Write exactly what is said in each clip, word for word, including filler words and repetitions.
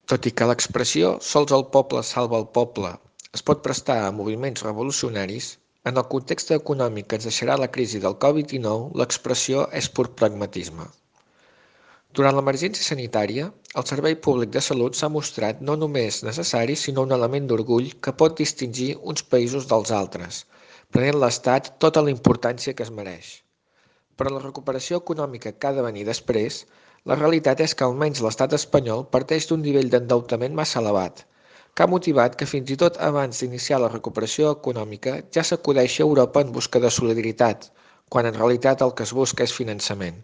Tot i que l'expressió «sols el poble salva el poble» es pot prestar a moviments revolucionaris, en el context econòmic que ens deixarà la crisi del Covid dinou, l'expressió és pur pragmatisme. Durant l'emergència sanitària, el servei públic de salut s'ha mostrat no només necessari, sinó un element d'orgull que pot distingir uns països dels altres, prenent l'Estat tota la importància que es mereix. Però la recuperació econòmica que ha de venir després, la realitat és que almenys l'estat espanyol parteix d'un nivell d'endeutament massa elevat, que ha motivat que fins i tot abans d'iniciar la recuperació econòmica ja s'acudeixi a Europa en busca de solidaritat, quan en realitat el que es busca és finançament.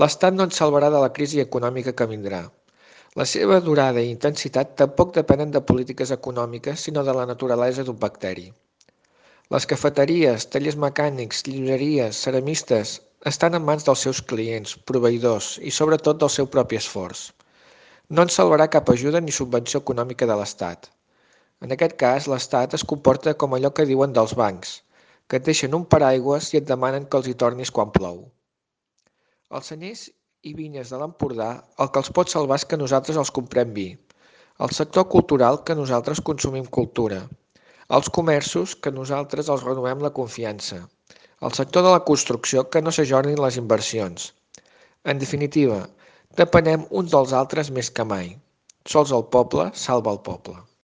L'Estat no ens salvarà de la crisi econòmica que vindrà. La seva durada i intensitat tampoc depenen de polítiques econòmiques, sinó de la naturalesa d'un bacteri. Les cafeteries, tallers mecànics, llibreries, ceramistes estan en mans dels seus clients, proveïdors i sobretot del seu propi esforç. No ens salvarà cap ajuda ni subvenció econòmica de l'Estat. En aquest cas, l'Estat es comporta com allò que diuen dels bancs, que et deixen un paraigües i et demanen que els hi tornis quan plou. Els senyers i vinyes de l'Empordà el que els pot salvar és que nosaltres els comprem vi, el sector cultural que nosaltres consumim cultura, els comerços que nosaltres els renovem la confiança, el sector de la construcció que no s'ajornin les inversions. En definitiva, depenem uns dels altres més que mai. Sols el poble salva el poble.